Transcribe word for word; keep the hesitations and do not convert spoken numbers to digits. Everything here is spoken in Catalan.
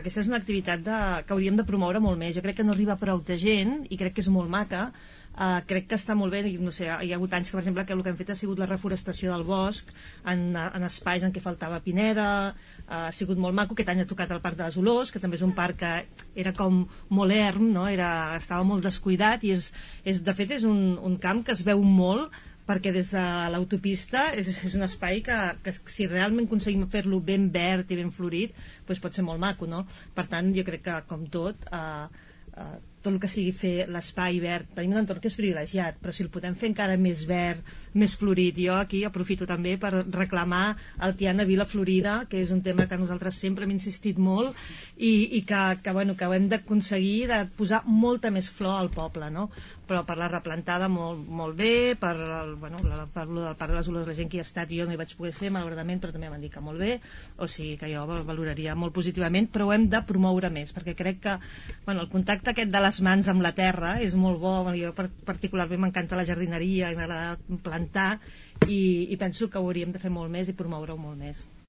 aquesta és una activitat de, que hauríem de promoure molt més. Jo crec que no arriba a prou de gent i crec que és molt maca. Uh, crec que està molt bé, no sé, hi ha hagut anys que, per exemple, que el que hem fet ha sigut la reforestació del bosc en, en espais en què faltava pineda, uh, ha sigut molt maco. Aquest any ha tocat el Parc de les Olors, que també és un parc que era com molt erm, no? era, estava molt descuidat i és, és, de fet és un, un camp que es veu molt, perquè des de l'autopista és, és un espai que, que si realment aconseguim fer-lo ben verd i ben florit, doncs pot ser molt maco, no? Per tant, jo crec que, com tot, uh, uh, tot el que sigui fer l'espai verd, tenim un entorn que és privilegiat, però si el podem fer encara més verd, més florit, jo aquí aprofito també per reclamar el Tiana Vila Florida, que és un tema que nosaltres sempre hem insistit molt i, i que, que, bueno, que ho hem d'aconseguir de posar molta més flor al poble, no? Però per la replantada molt, molt bé, per el, bueno, la, per el Parc de les Olors, la gent que hi ha estat, jo no hi vaig poder ser malauradament, però també m'han dit que molt bé, o sigui que jo valoraria molt positivament, però ho hem de promoure més, perquè crec que, bueno, el contacte aquest de les mans amb la terra és molt bo. Jo particularment m'encanta la jardineria i m'agrada plantar i, i penso que ho hauríem de fer molt més i promoure-ho molt més.